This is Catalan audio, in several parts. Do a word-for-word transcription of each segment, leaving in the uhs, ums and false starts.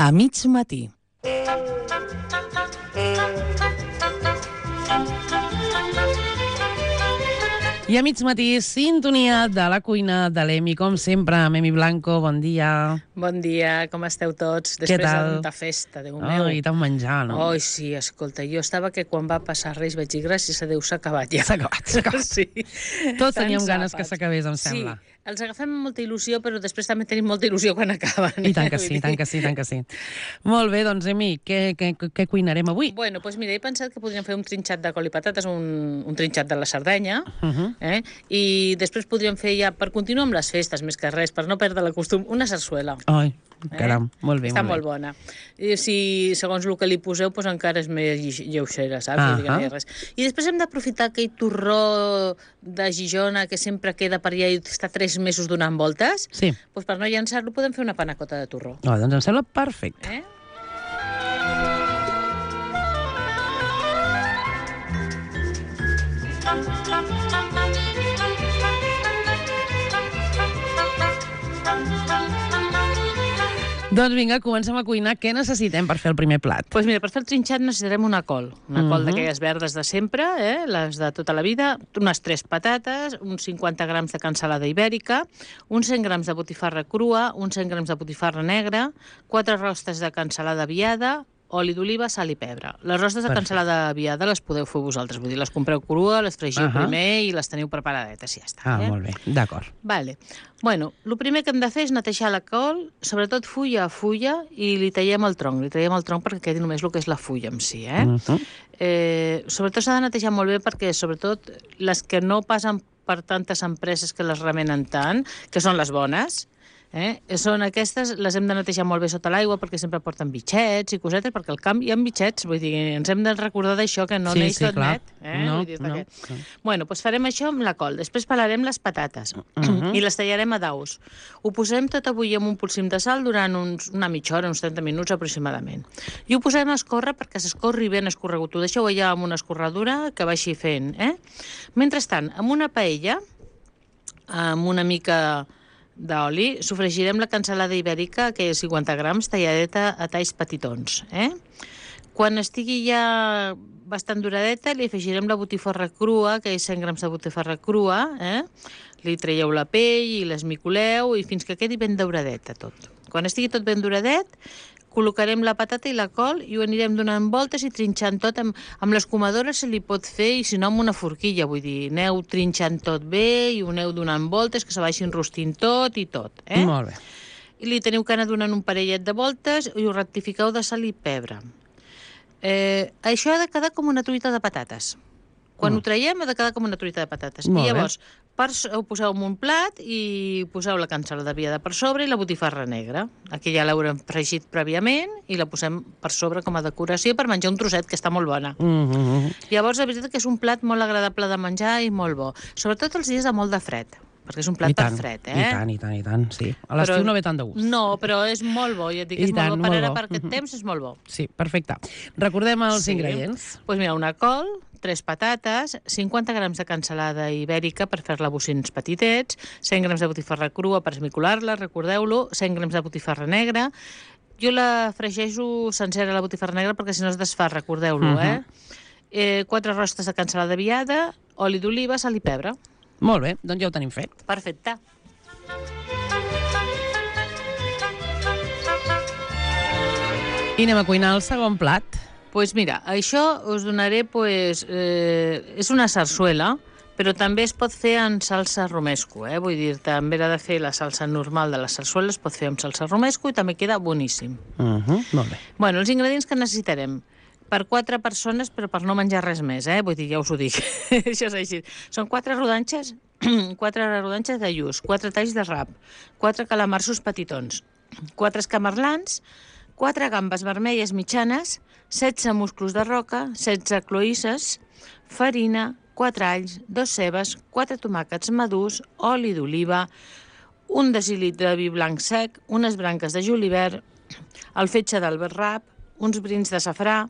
A mig matí. I a mig matí, sintonia de la cuina de l'Emi, com sempre, amb Emi Blanco, bon dia. Bon dia, com esteu tots? Què Després tal? de tanta festa, Déu meu. Ai, tant menjar, no? Ai, sí, escolta, jo estava que quan va passar Reis vaig dir gràcies a Déu, s'ha acabat ja. S'ha acabat, s'ha acabat. Sí. Tots Tants teníem ganes que àpats. s'acabés, em sembla. Sí, els agafem amb molta il·lusió, però després també tenim molta il·lusió quan acaben. I tant que sí, tant que sí, tant que sí. Molt bé, doncs, Emi, què, què, què cuinarem avui? Bueno, doncs mira, he pensat que podríem fer un trinxat de col i patates, un, un trinxat de la Sardenya, Uh -huh. eh? I després podríem fer ja, per continuar amb les festes, més que res, per no perdre la costum, una sarsuela. Ai, caram, molt bé, Està molt molt bé. bona. I si, segons el que li poseu, doncs encara és més lle- lleugera, saps? Ah, Vull dir que no hi ha res. I després hem d'aprofitar aquell torró de Gijona que sempre queda per allà i està tres mesos donant voltes. Sí, Doncs per no llançar-lo podem fer una panacota de torró. oh, doncs em sembla perfecte. Eh? Doncs vinga, comencem a cuinar. Què necessitem per fer el primer plat? Doncs mira, per fer el trinxat necessitarem una col. Una col Mhm. d'aquelles verdes de sempre, eh? Les de tota la vida, unes tres patates, uns cinquanta grams de cansalada ibèrica, uns cent grams de botifarra crua, uns cent grams de botifarra negra, quatre rostes de cansalada viada, oli d'oliva, sal i pebre. Les rostes de Perfecte. cansalada viada les podeu fer vosaltres, vull dir, les compreu crua, les fregiu Ahà. primer i les teniu preparadetes, i ja està. Ah, eh? molt bé, d'acord. Vale. Bueno, el primer que hem de fer és netejar la col, sobretot fulla a fulla, i li tallem el tronc. Li tallem el tronc perquè quedi només el que és la fulla en si, eh? Uh -huh. eh sobretot s'ha de netejar molt bé perquè, sobretot, les que no passen per tantes empreses que les remenen tant, que són les bones, eh? Són aquestes, les hem de netejar molt bé sota l'aigua perquè sempre porten bitxets i cosetes, perquè al camp hi ha bitxets, vull dir, ens hem de recordar d'això, que no Sí, neix sí, tot clar. net. Eh? No, Vull dir, no, que... no. Bueno, doncs farem això amb la col. Després pelarem les patates Mhm. i les tallarem a daus. Ho posem tot a bullir amb un polsim de sal durant uns, una mitja hora, uns trenta minuts aproximadament. I ho posem a escórrer perquè s'escorri ben escorregut. Ho deixeu allà amb una escorredura que vagi fent. Eh? Mentrestant, amb una paella, amb una mica d'oli, sofregirem la cansalada ibèrica, que és cinquanta grams, talladeta a talls petitons. Eh? Quan estigui ja bastant duradeta, li afegirem la botifarra crua, que és cent grams de botifarra crua, eh? Li traieu la pell i l'esmicoleu i fins que quedi ben dauradeta tot. Quan estigui tot ben duradet, col·locarem la patata i la col i ho anirem donant voltes i trinxant tot. Amb, amb l'escumadora se li pot fer, i si no amb una forquilla, vull dir, aneu trinxant tot bé i ho aneu donant voltes, que se vagin rostint tot i tot. Eh? Molt bé. I li teniu que anar donant un parellet de voltes i ho rectifiqueu de sal i pebre. Eh, això ha de quedar com una truita de patates. Quan Mm. ho traiem ha de quedar com una truita de patates. Molt I bé. llavors per, ho poseu en un plat i poseu la cansalada viada per sobre i la botifarra negra. Aquí ja l'haurem fregit prèviament i la posem per sobre com a decoració per menjar un trosset, que està molt bona. Uh -huh. Llavors, la veritat que és un plat molt agradable de menjar i molt bo. Sobretot els dies de molt de fred, perquè és un plat I per tant, fred, eh? I tant, i tant, i tant, sí. A l'estiu Però- no ve tant de gust. No, però és molt bo, ja et dic, I és tant, molt bo. Per molt ara, bo. per aquest Mhm. temps, és molt bo. Sí, perfecte. Recordem els Sí. ingredients. Doncs pues mira, una col, tres patates, cinquanta grams de cansalada ibèrica per fer-la bocins petitets, cent grams de botifarra crua per esmicolar-la, recordeu-lo, cent grams de botifarra negra. Jo la fregeixo sencera, la botifarra negra, perquè si no es desfà, recordeu-lo, Mhm. eh? eh? Quatre rostes de cansalada viada, oli d'oliva, sal i pebre. Molt bé, doncs ja ho tenim fet. Perfecte. I anem a cuinar el segon plat. Doncs pues mira, això us donaré, pues, eh, és una sarsuela, però també es pot fer en salsa romesco, eh? Vull dir, també era de fer la salsa normal de la sarsuela, es pot fer amb salsa romesco i també queda boníssim. Uh -huh. Molt bé. Bueno, els ingredients que necessitarem per quatre persones, però per no menjar res més, eh? Vull dir, ja us ho dic. Això és així. Són quatre rodanxes, quatre rodanxes de lluç, quatre talls de rap, quatre calamarsos petitons, quatre escamarlans, quatre gambes vermelles mitjanes, setze musclos de roca, setze cloïsses, farina, quatre alls, dos cebes, quatre tomàquets madurs, oli d'oliva, un decilitre de vi blanc sec, unes branques de julivert, el fetge d'alberrap, uns brins de safrà,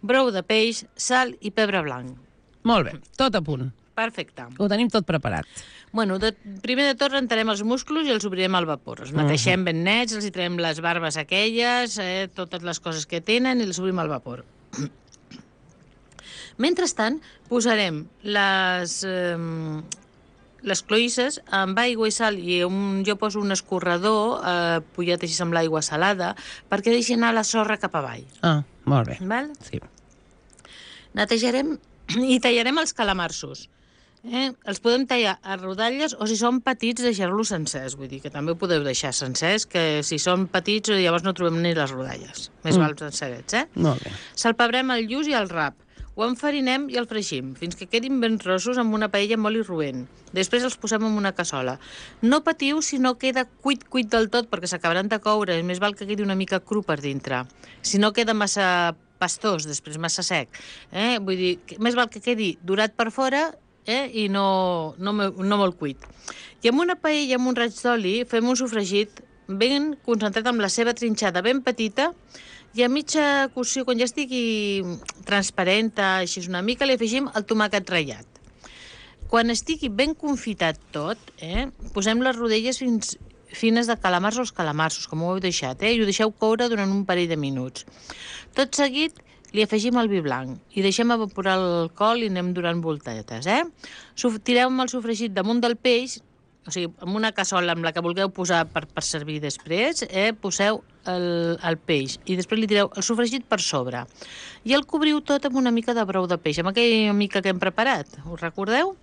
brou de peix, sal i pebre blanc. Molt bé, tot a punt. Perfecte. Ho tenim tot preparat. Bueno, de, primer de tot rentarem els musclos i els obrirem al vapor. Els neteixem ben nets, els hi traiem les barbes aquelles, eh, totes les coses que tenen i els obrim al vapor. Mentrestant, posarem les... Eh, les cloïsses amb aigua i sal i un, jo poso un escorredor eh, pujat així amb l'aigua salada perquè deixi anar la sorra cap avall. Ah, molt bé. Val? Sí. Netejarem i tallarem els calamarsos. Eh? Els podem tallar a rodalles o si són petits deixar-los sencers, vull dir que també ho podeu deixar sencers, que si són petits llavors no trobem ni les rodalles. Més mm. val sencerets, eh? Molt bé. Salpebrem el lluç i el rap. Ho enfarinem i el fregim, fins que quedin ben rossos amb una paella amb oli roent. Després els posem en una cassola. No patiu si no queda cuit-cuit del tot, perquè s'acabaran de coure. Més val que quedi una mica cru per dintre. Si no queda massa pastós, després massa sec. Eh? Vull dir, més val que quedi durat per fora eh? i no, no, no molt cuit. I amb una paella amb un raig d'oli fem un sofregit ben concentrat amb la ceba trinxada ben petita. I a mitja cocció, quan ja estigui transparent, així una mica, li afegim el tomàquet ratllat. Quan estigui ben confitat tot, eh, posem les rodelles fins, fines de calamars o els calamarsos, com ho heu deixat, eh, i ho deixeu coure durant un parell de minuts. Tot seguit li afegim el vi blanc i deixem evaporar l'alcohol i anem durant voltetes. Eh? Tireu el sofregit damunt del peix, o sigui, en una cassola amb la que vulgueu posar per, per servir després, eh, poseu el, el peix i després li tireu el sofregit per sobre. I el cobriu tot amb una mica de brou de peix, amb aquella mica que hem preparat. Us recordeu?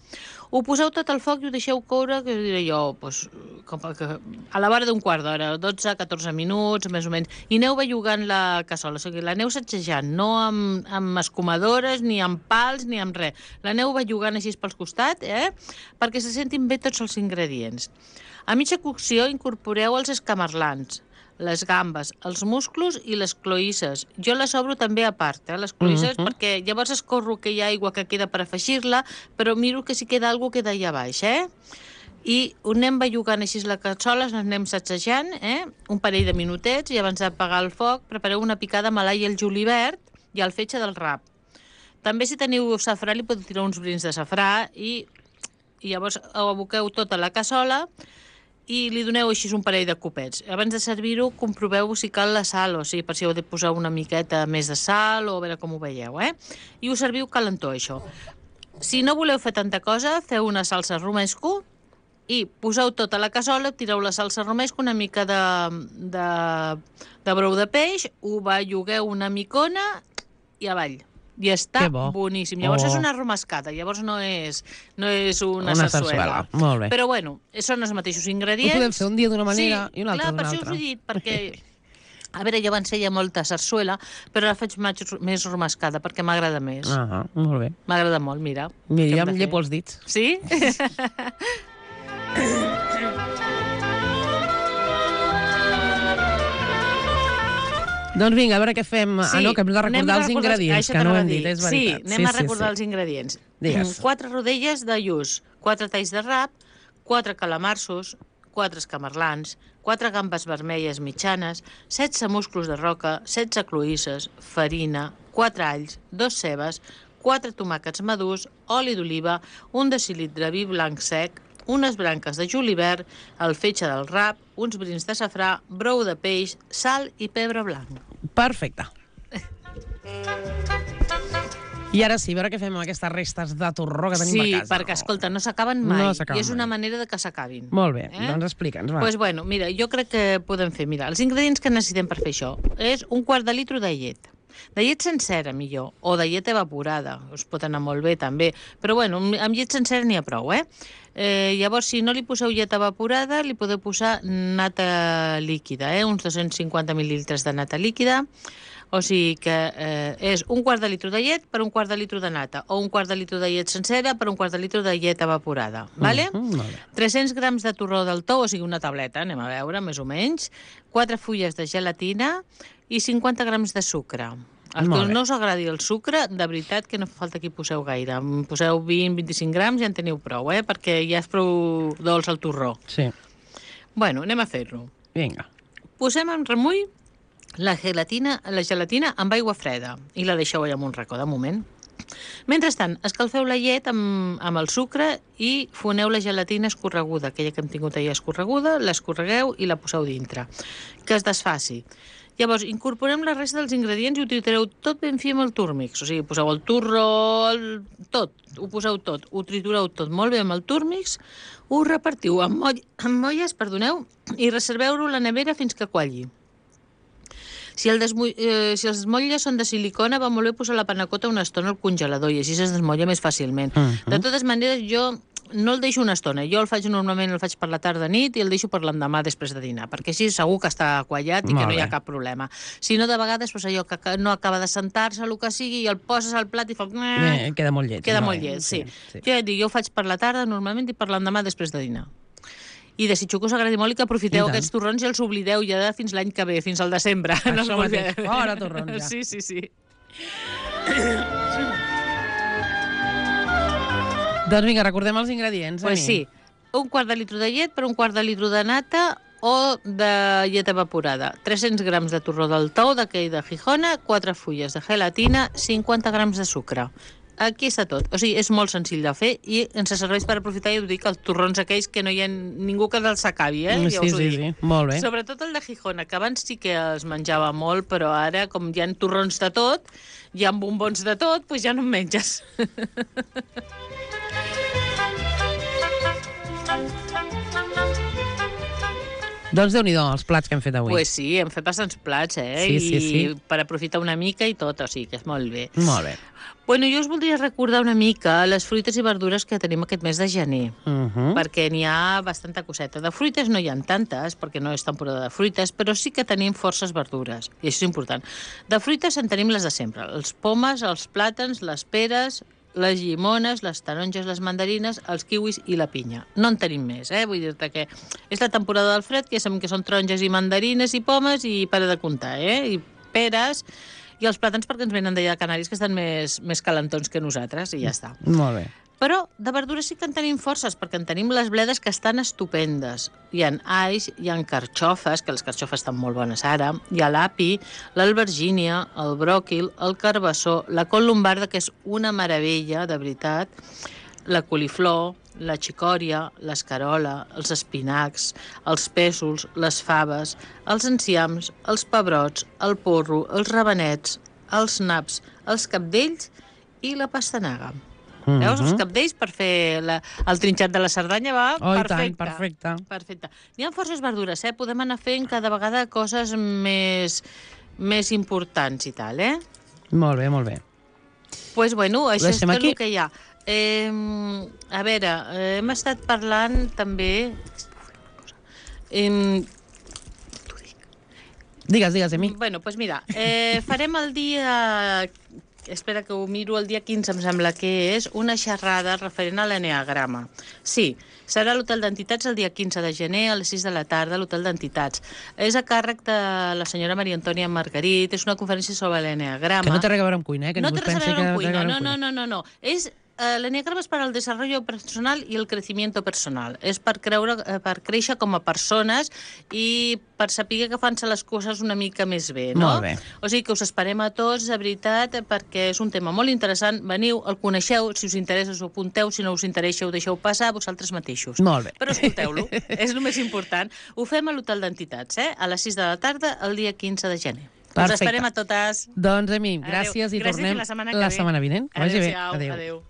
Ho poseu tot al foc i ho deixeu coure, que diré jo, doncs, com que a la vora d'un quart d'hora, dotze a catorze minuts, més o menys, i aneu bellugant la cassola, o sigui, l'aneu sacsejant, no amb, amb escumadores, ni amb pals, ni amb res. L'aneu bellugant així pels costats, eh? perquè se sentin bé tots els ingredients. A mitja cocció incorporeu els escamarlans, les gambes, els musclos i les cloïsses. Jo les obro també a part, eh, les cloïsses, uh -huh. perquè llavors escorro aquella aigua que queda per afegir-la, però miro que si queda alguna queda allà baix, eh? I ho anem bellugant així la cassola, anem sacsejant, eh? Un parell de minutets, i abans d'apagar el foc prepareu una picada amb l'all i el julivert i el fetge del rap. També si teniu safrà li podeu tirar uns brins de safrà i, i llavors ho aboqueu tot a la cassola i li doneu així un parell de copets. Abans de servir-ho, comproveu si cal la sal, o sigui, per si heu de posar una miqueta més de sal, o a veure com ho veieu, eh? I ho serviu calentó, això. Si no voleu fer tanta cosa, feu una salsa romesco i poseu tot a la cassola, tireu la salsa romesco, una mica de, de, de brou de peix, ho bellugueu una micona i avall. I està boníssim. Llavors oh. és una romescada, llavors no és, no és una, una sarsuela. Molt bé. Però bueno, són els mateixos ingredients. Ho podem fer un dia d'una manera sí, i una altra d'una altra. Sí, clar, per això us he dit, perquè... A veure, jo abans feia molta sarsuela, però ara faig més romescada, perquè m'agrada més. Ah, molt bé. M'agrada molt, mira. Mira, ja em llepo els dits. Sí? Doncs vinga, a veure què fem. Sí, ah, no, que hem de recordar els ingredients, que no ho hem dit, és veritat. Sí, anem sí, a recordar sí, els ingredients. Digues. Quatre rodelles de lluç, quatre talls de rap, quatre calamarsos, quatre escamarlans, quatre gambes vermelles mitjanes, setze musclos de roca, setze cloïsses, farina, quatre alls, dos cebes, quatre tomàquets madurs, oli d'oliva, un decilitre de vi blanc sec, unes branques de julivert, el fetge del rap, uns brins de safrà, brou de peix, sal i pebre blanc. Perfecte. I ara sí, a veure què fem amb aquestes restes de torró que tenim sí, a casa. Sí, perquè, escolta, no s'acaben mai. No s'acaben I és mai. una manera de que s'acabin. Molt bé, eh? doncs explica'ns, va. Pues bueno, mira, jo crec que podem fer, mira, els ingredients que necessitem per fer això és un quart de litre de llet. De llet sencera, millor, o de llet evaporada, us pot anar molt bé també, però bueno, amb llet sencera n'hi ha prou, eh? eh? Llavors, si no li poseu llet evaporada, li podeu posar nata líquida, eh? Uns dos-cents cinquanta mil·lilitres de nata líquida, o sigui que eh, és un quart de litre de llet per un quart de litre de nata, o un quart de litre de llet sencera per un quart de litre de llet evaporada, vale? Mm, vale. tres-cents grams de torró del tou, o sigui una tableta, anem a veure, més o menys, quatre fulles de gelatina i cinquanta grams de sucre. Els que no us agradi el sucre, de veritat que no fa falta que hi poseu gaire. Poseu vint a vint-i-cinc grams i en teniu prou, eh? Perquè ja és prou dolç el torró. Sí. Bueno, anem a fer-lo. Vinga. Posem en remull la gelatina, la gelatina amb aigua freda i la deixeu allà en un racó de moment. Mentrestant, escalfeu la llet amb, amb el sucre i foneu la gelatina escorreguda, aquella que hem tingut ahir escorreguda, l'escorregueu i la poseu dintre, que es desfaci. Llavors, incorporem la resta dels ingredients i ho tritureu tot ben fi amb el turmix. O sigui, poseu el turro, el... tot, ho poseu tot, ho tritureu tot molt bé amb el turmix, ho repartiu amb, moll... amb molles, perdoneu, i reserveu-ho a la nevera fins que qualli. Si, el desmu... eh, si els motlles són de silicona, va molt bé posar la panacota una estona al congelador i així es desmotlla més fàcilment. Uh-huh. De totes maneres, jo no el deixo una estona. Jo el faig normalment, el faig per la tarda nit i el deixo per l'endemà després de dinar, perquè així segur que està quallat i molt que no hi ha cap problema. Si no, de vegades, doncs, allò que no acaba de sentar-se, el que sigui, i el poses al plat i fa... Eh, queda molt llet. Queda no, molt llet, sí. sí, sí. Jo, jo ho faig per la tarda normalment i per l'endemà després de dinar. I desitjo que us agradi molt i que aprofiteu aquests torrons i els oblideu ja fins l'any que ve, fins al desembre. Això no mateix, fora torrons ja. Sí, sí, sí. Doncs vinga, recordem els ingredients. Pues sí, un quart de litre de llet per un quart de litre de nata o de llet evaporada, tres-cents grams de torró del tou d'aquell de Gijona, quatre fulles de gelatina, cinquanta grams de sucre. Aquí està tot. O sigui, és molt senzill de fer i ens serveix per aprofitar, ja ho dic, els torrons aquells que no hi ha ningú que els acabi, eh? Ja sí, sí, sí, molt bé. Sobretot el de Gijona, que abans sí que es menjava molt, però ara, com hi ha torrons de tot, hi ha bombons de tot, doncs ja no en menges. Doncs Déu-n'hi-do, els plats que hem fet avui. Pues sí, hem fet bastants plats, eh? Sí, sí, sí. I per aprofitar una mica i tot, o sigui que és molt bé. Molt bé. Bueno, jo us voldria recordar una mica les fruites i verdures que tenim aquest mes de gener, Uh -huh. perquè n'hi ha bastanta coseta. De fruites no hi ha tantes, perquè no és temporada de fruites, però sí que tenim forces verdures, i això és important. De fruites en tenim les de sempre, els pomes, els plàtans, les peres, les llimones, les taronges, les mandarines, els kiwis i la pinya. No en tenim més, eh? Vull dir-te que és la temporada del fred, que ja sabem que són taronges i mandarines i pomes i para de comptar, eh? I peres i els plàtans perquè ens venen d'allà de Canàries, que estan més, més calentons que nosaltres, i ja està. Molt bé. Però de verdures sí que en tenim forces, perquè en tenim les bledes que estan estupendes. Hi ha alls, hi ha carxofes, que les carxofes estan molt bones ara, hi ha l'api, l'albergínia, el bròquil, el carbassó, la col lombarda, que és una meravella, de veritat, la coliflor, la xicòria, l'escarola, els espinacs, els pèsols, les faves, els enciams, els pebrots, el porro, els rabanets, els naps, els cabdells i la pastanaga. Uh-huh. Veus? Els cabdells per fer la, el trinxat de la Cerdanya va oh, perfecte. Tant, perfecte. Perfecte. N'hi ha forces verdures, eh? Podem anar fent cada vegada coses més, més importants i tal, eh? Molt bé, molt bé. Doncs, pues, bueno, això és tot aquí? el que hi ha. Eh, a veure, eh, hem estat parlant també... Eh, digues, digues, a mi. Bueno, doncs pues mira, eh, farem el dia... Espera que ho miro, el dia quinze em sembla que és una xerrada referent a l'eneagrama. Sí, serà a l'Hotel d'Entitats el dia quinze de gener a les sis de la tarda a l'Hotel d'Entitats. És a càrrec de la senyora Maria Antònia Margarit, és una conferència sobre l'eneagrama. Que no té res a veure amb cuina, eh? Que no ningú té res a pensi veure que amb té cuina, a veure no, amb no, no, no, no. És... Uh, l'eneagrama és per al desarrollo personal i el crecimiento personal. És per, creure, uh, per créixer com a persones i per saber que fan-se les coses una mica més bé, no? Molt bé. O sigui que us esperem a tots, de veritat, perquè és un tema molt interessant. Veniu, el coneixeu, si us interessa us ho apunteu, si no us interessa ho deixeu passar vosaltres mateixos. Molt bé. Però escolteu-lo, és el més important. Ho fem a l'Hotel d'Entitats, eh? A les sis de la tarda, el dia quinze de gener. Perfecte. Us esperem a totes. Doncs a mi, gràcies Adeu. i Gràcies tornem i la setmana la que ve. setmana vinent. Que vagi bé. Adéu-siau. Adéu. Adéu.